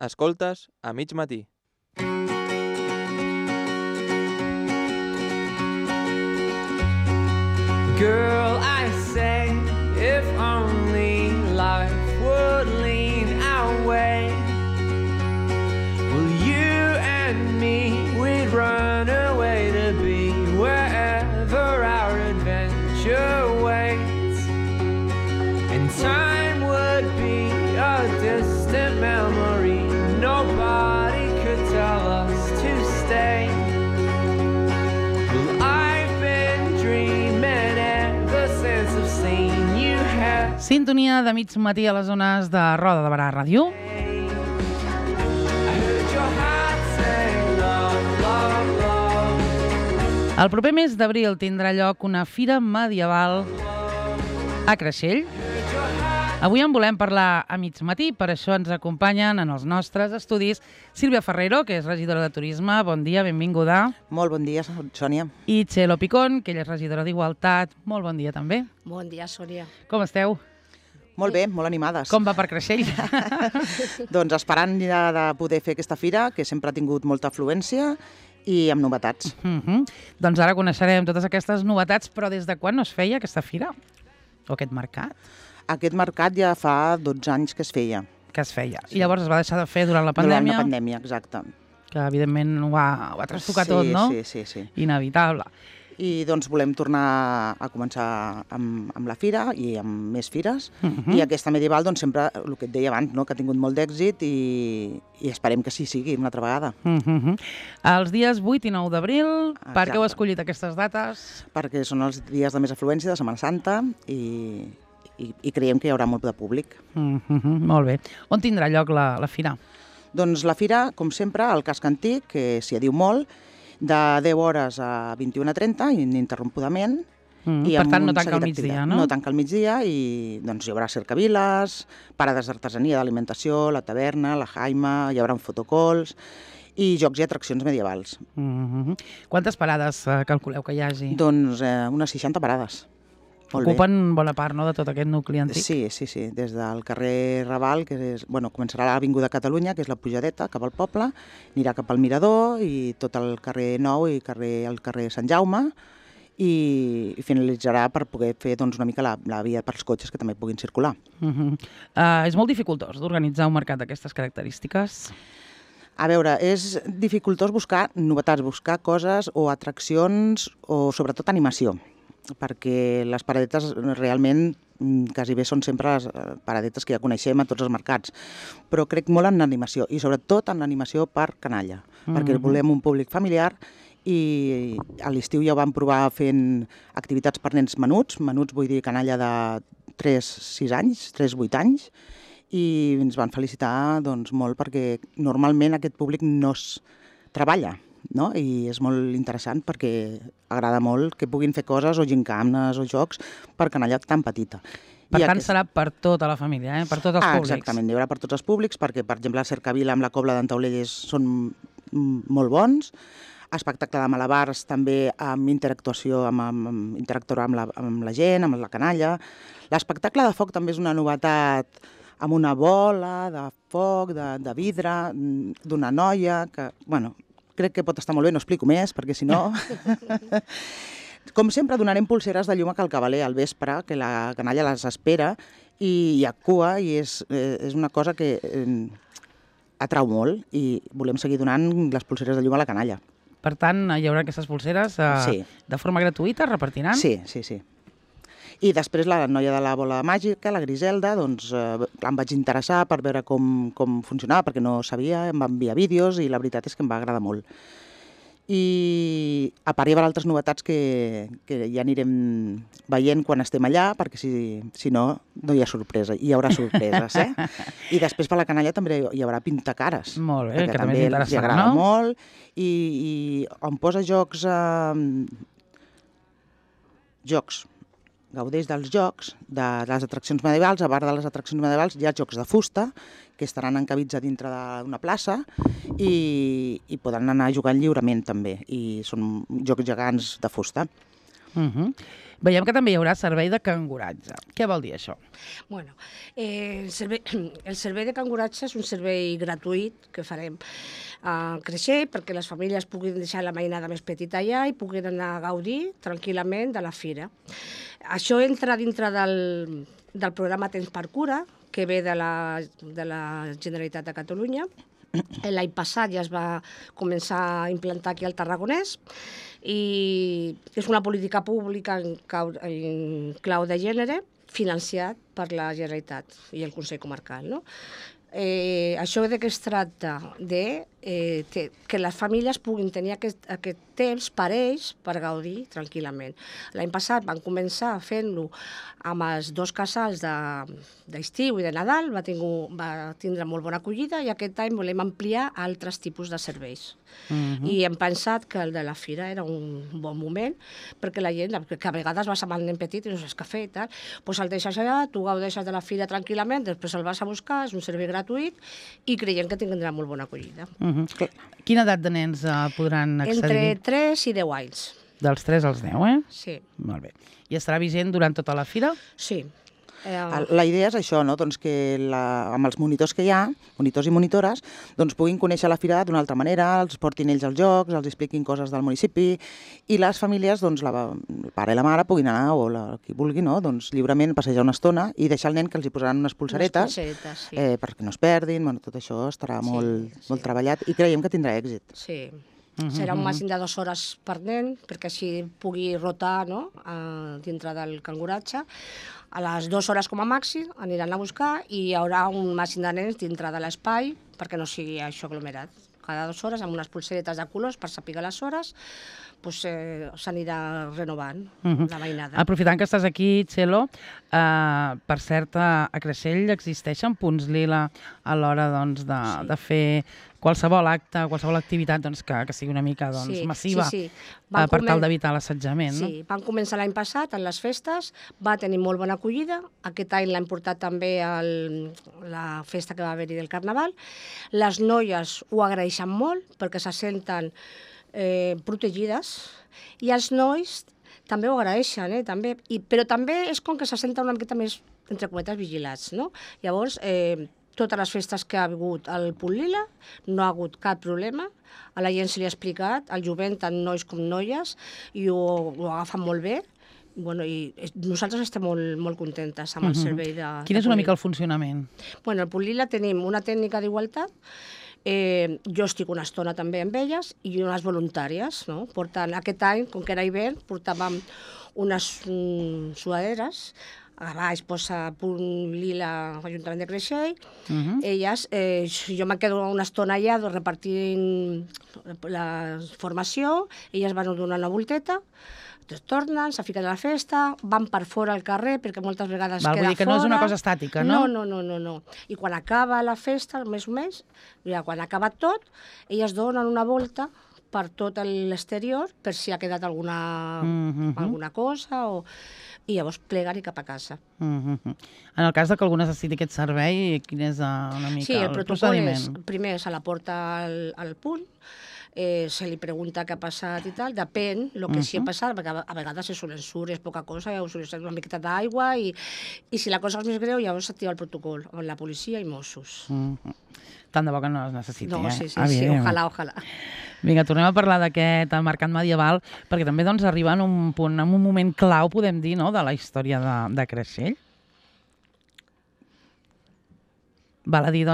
Escoltes a mig matí. Girl, I say, if only life would lean our way. Well, you and me, we'd run away to be wherever our adventure waits. And time would be a distant memory. Nobody could tell us to stay. Well, I've been dreaming ever since I've seen you have. Sintonia de mig matí a les zones de Roda de Barà Ràdio. I heard your heart say love, love, love. El proper mes d'abril tindrà lloc una fira medieval a Creixell. Avui en volem parlar a mig matí, per això ens acompanyen en els nostres estudis Sílvia Ferrero, que és regidora de Turisme. Bon dia, benvinguda. Molt bon dia, Sònia. I Txelo Picón, que ella és regidora d'Igualtat. Molt bon dia també. Bon dia, Sònia. Com esteu? Molt bé, molt animades. Com va per Creixell? Doncs esperant ja de poder fer aquesta fira, que sempre ha tingut molta afluència, i amb novetats. Doncs ara coneixerem totes aquestes novetats, però des de quan no es feia aquesta fira? O aquest mercat? Aquest mercat ja fa 12 anys que es feia. Que es feia. I llavors es va deixar de fer durant la pandèmia? Durant la pandèmia, exacte. Que evidentment ho va trastocar tot, no? Sí. Inevitable. I doncs volem tornar a començar amb la fira i amb més fires. I aquesta medieval, doncs sempre, el que et deia abans, no? Que ha tingut molt d'èxit i esperem que sí sigui una altra vegada. Els dies 8 i 9 d'abril, per què heu Exacte. escollit aquestes dates? Perquè són els dies de més afluència de Setmana Santa i creiem que hi haurà molt de públic. Molt bé. On tindrà lloc la fira? Doncs la fira, com sempre, al casc antic, que s'hi diu molt, de 10 hores a 21:30, ininterrompudament. I Per amb tant, no un tanca seguit al migdia, d'activitats. no? No tanca al migdia i doncs, hi haurà cercaviles, parades d'artesania, d'alimentació, la taverna, la jaima, hi haurà fotocols i jocs i atraccions medievals. Quantes parades calculeu que hi hagi? Doncs unes 60 parades. Molt bé. Ocupen bona part, no?, de tot aquest nucli antic. Sí. Des del carrer Raval, que és, començarà a l'Avinguda Catalunya, que és la pujadeta cap al poble, anirà cap al Mirador i tot el carrer Nou i el carrer Sant Jaume i finalitzarà per poder fer doncs, una mica la via pels cotxes que també puguin circular. És molt dificultós d'organitzar un mercat d'aquestes característiques? A veure, és dificultós buscar novetats, buscar coses o atraccions o sobretot animació, perquè les paradetes realment quasi bé són sempre les paradetes que ja coneixem a tots els mercats, però crec molt en l'animació i sobretot en l'animació per canalla, perquè volem un públic familiar i a l'estiu ja ho vam provar fent activitats per nens menuts vull dir canalla de 3-6 anys, 3-8 anys, i ens van felicitar doncs, molt perquè normalment aquest públic no es treballa, no? I és molt interessant perquè agrada molt que puguin fer coses o gincanes o jocs per canalla tan petita. Per tant, serà per tota la família, per tots els públics. Exactament, hi haurà per tots els públics perquè, per exemple, la cercavila amb la cobla d'en Taulelles són molt bons. Espectacle de malabars també amb interactuació, interactuar amb la gent, amb la canalla. L'espectacle de foc també és una novetat amb una bola de foc, de vidre, d'una noia, que, crec que pot estar molt bé, no explico més, perquè si no... Com sempre, donarem pulseres de llum a Cal Cavaler al vespre, que la canalla les espera, i hi ha cua, i és una cosa que atrau molt, i volem seguir donant les pulseres de llum a la canalla. Per tant, hi haurà aquestes pulseres de forma gratuïta, repartiran? Sí. I després la noia de la bola màgica, la Griselda, doncs em vaig interessar per veure com funcionava, perquè no sabia, em va enviar vídeos i la veritat és que em va agradar molt. I a part hi haurà altres novetats que ja anirem veient quan estem allà, perquè si no, no hi ha sorpresa, hi haurà sorpreses, I després per la canalla també hi haurà pintacares. Molt bé, que també és interessant, no? Li agrada molt, i on posa jocs, gaudeix dels jocs, de les atraccions medievals. A part de les atraccions medievals hi ha jocs de fusta, que estaran encabits a dintre d'una plaça i poden anar jugant lliurement també, i són jocs gegants de fusta. Veiem que també hi haurà servei de canguratge. Què vol dir això? Bueno, el servei de canguratge és un servei gratuït que farem a Creixell perquè les famílies puguin deixar la mainada més petita allà i puguin anar a gaudir tranquil·lament de la fira. Això entra dintre del programa Temps per Cura, que ve de la Generalitat de Catalunya. L'any passat ja es va començar a implantar aquí al Tarragonès i és una política pública en clau de gènere financiat per la Generalitat i el Consell Comarcal, no? Això de què es tracta? Que les famílies puguin tenir aquest temps per ells per gaudir tranquil·lament. L'any passat van començar fent-lo amb els 2 casals d'estiu i de Nadal, va tindre molt bona acollida i aquest any volem ampliar altres tipus de serveis. I hem pensat que el de la fira era un bon moment perquè la gent, que a vegades vas amb el nen petit i no saps què fer i tal, doncs el deixes allà, tu gaudeixes de la fira tranquil·lament, després el vas a buscar, és un servei gratuït i creiem que tindrà molt bona acollida. Quina edat de nens podran accedir? Entre 3 i 10 anys. Dels 3 als 10, eh? Sí. Molt bé. I estarà vigent durant tota la fira? Sí. La idea és això, no? Doncs que amb els monitors que hi ha, monitors i monitores, doncs puguin conèixer la fira d'una altra manera, els portin ells als jocs, els expliquin coses del municipi i les famílies, doncs el pare i la mare puguin anar, o qui vulgui, no? Doncs lliurement passejar una estona i deixar el nen que els hi posaran unes pulseretes, sí. perquè no es perdin, bueno, tot això estarà molt treballat i creiem que tindrà èxit. Sí. Serà un màxim de 2 hores per nen, perquè així pugui rotar, no?, dintre del canguratge. A les 2 hores com a màxim aniran a buscar i hi haurà un màxim de nens dintre de l'espai perquè no sigui això aglomerat. Cada 2 hores, amb unes pulseretes de colors per saber les hores, s'anirà renovant la mainada. Aprofitant que estàs aquí, Txelo, per cert, a Creixell existeixen punts lila a l'hora de fer qualsevol acte, qualsevol activitat que sigui una mica massiva per tal d'evitar l'assetjament. Sí, van començar l'any passat en les festes, va tenir molt bona acollida, aquest any l'han portat també a la festa que va haver-hi del Carnaval. Les noies ho agraeixen molt perquè se senten protegides i els nois també ho agraeixen, però també és com que se senten una miqueta més, entre cometes, vigilats, no? Llavors, totes les festes que ha hagut al Punt Lila no ha hagut cap problema, a la gent se li ha explicat, al jovent, tant nois com noies, i ho agafen molt bé. I nosaltres estem molt contentes amb el servei de... Quin és una mica el funcionament? Al Punt Lila tenim una tècnica d'igualtat, jo estic una estona també amb elles i unes voluntàries, no? Aquest any, com que era hivern, portàvem unes suaderes, a baix posa Punt Lila, Ajuntament de Creixell. Elles, jo me quedo una estona allà repartint la formació, elles van donar una volteta, tornen, se fiquen a la festa, van per fora al carrer, perquè moltes vegades queda fora. Vull dir que no és una cosa estàtica, no? No. I quan acaba la festa, més o menys, quan ha acabat tot, elles donen una volta per tot l'exterior, per si ha quedat alguna cosa, i llavors pleguen i cap a casa. En el cas que algú necessiti aquest servei, quin és una mica el procediment? Sí, el protocol és, primer se la porta al punt, se li pregunta què ha passat i tal, depèn el que sí ha passat, perquè a vegades és un ensurt, és poca cosa, us una miqueta d'aigua, i si la cosa és més greu, llavors s'activa el protocol, amb la policia i Mossos. Tant de bo que no es necessiti, No, sí, ojalà. Vinga, tornem a parlar d'aquest mercat medieval, perquè també arriba en un punt, en un moment clau, podem dir, de la història de Creixell. Val a dir,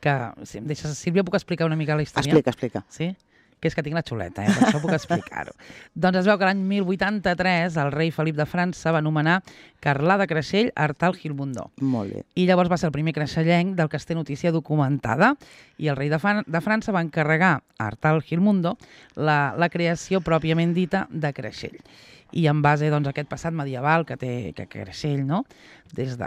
que si em deixes, Sílvia, puc explicar una mica la història? Explica. Sí? Que és que tinc la xuleta, per això puc explicar-ho. Doncs es veu que l'any 1083 el rei Felip de França va nomenar Carlà de Creixell Artal Gilmundó. Molt bé. I llavors va ser el primer creixellenc del que es té notícia documentada i el rei de França va encarregar a Artal Gilmundó la creació pròpiament dita de Creixell. I en base a aquest passat medieval que té Creixell, des de,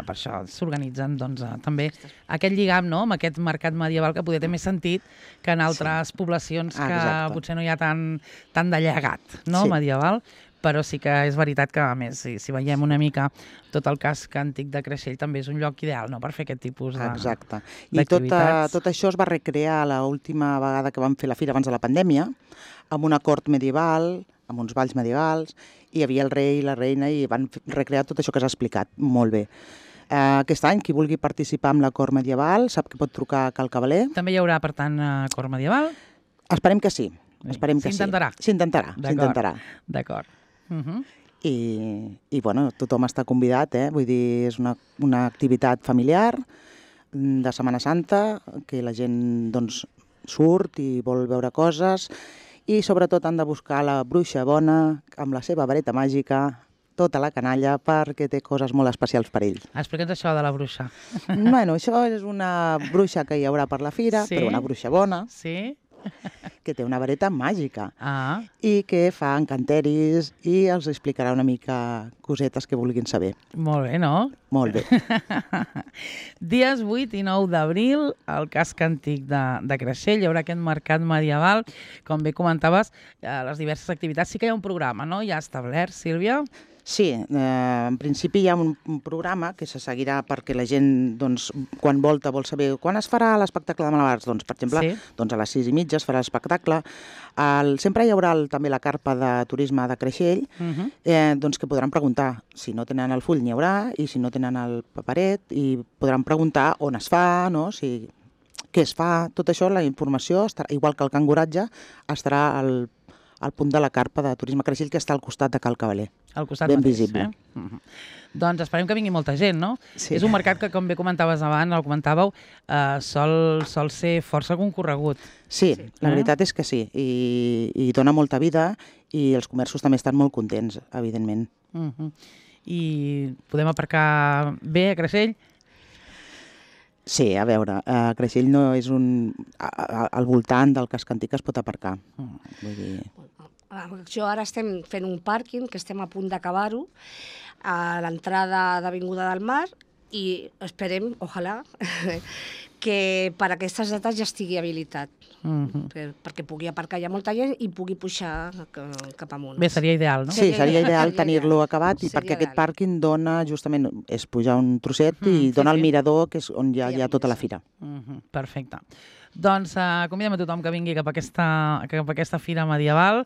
per això s'organitzen també aquest lligam amb aquest mercat medieval que poder té més sentit que en altres poblacions que potser no hi ha tant de llegat medieval, però sí que és veritat que, a més, si veiem una mica tot el casc antic de Creixell, també és un lloc ideal per fer aquest tipus d'activitats. I tot això es va recrear l'última vegada que vam fer la fira abans de la pandèmia, amb una cort medieval, amb uns balls medievals, i hi havia el rei i la reina i van recrear tot això que s'ha explicat molt bé. Aquest any, qui vulgui participar amb la cor medieval sap que pot trucar a Cal Cavaler. També hi haurà, per tant, cor medieval? Esperem que sí. Esperem que s'intentarà. Sí. S'intentarà. D'acord. I bueno, tothom està convidat, vull dir, és una activitat familiar de Setmana Santa, que la gent doncs, surt i vol veure coses, i sobretot han de buscar la bruixa bona amb la seva vareta màgica, tota la canalla, perquè té coses molt especials per ells. Explica'ns això de la bruixa. Bueno, això és una bruixa que hi haurà per la fira, Sí? però una bruixa bona, Sí? que té una vareta màgica Ah, i que fa encanteris i els explicarà una mica cosetes que vulguin saber. molt bé, no? Molt bé. Dies 8 i 9 d'abril, al casc antic de Creixell, hi haurà aquest mercat medieval. Com bé comentaves, les diverses activitats. Sí que hi ha un programa, no? Ja establert, Sílvia? Sí, en principi hi ha un programa que se seguirà perquè la gent, doncs, quan volta vol saber quan es farà l'espectacle de malabars. Doncs, per exemple, Sí. doncs a les 6:30 es farà l'espectacle. Sempre hi haurà també la carpa de turisme de Creixell, doncs que podran preguntar. Si no tenen el full n'hi haurà, i si no tenen el paperet, i podran preguntar on es fa, no? Què es fa, tot això, la informació, igual que el canguratge, estarà al punt de la carpa de turisme Creixell, que està al costat de Cal Cavaler. Al costat Ben mateix, visible. Doncs esperem que vingui molta gent, no? Sí. És un mercat que, com bé comentaves abans, el comentàveu, sol ser força concorregut. Sí, la veritat és que sí, i dona molta vida, i els comerços també estan molt contents, evidentment. I podem aparcar bé a Creixell? Sí, a veure, Creixell no és al voltant del casc antic es pot aparcar. Vull dir... Jo ara estem fent un pàrquing, que estem a punt d'acabar-ho, a l'entrada d'Avinguda del Mar, i esperem, ojalà, que per aquestes dates ja estigui habilitat, perquè pugui aparcar ja molta gent i pugui pujar cap amunt. Bé, seria ideal, no? Sí, seria ideal Seria tenir-lo ideal. acabat, i Seria perquè aquest ideal. pàrquing dona justament, és pujar un trosset i dona sí. al mirador, que és on ja hi ha tota la fira. Perfecte. Doncs convidem a tothom que vingui cap a aquesta fira medieval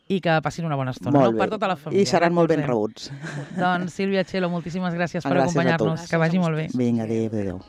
i que passin una bona estona, Molt no? bé. Per tota la família. I seran molt ben recordem. rebuts. Doncs Sílvia Txelo, moltíssimes gràcies per Gràcies a tu. acompanyar-nos. Que vagi molt bé. Vinga, adéu.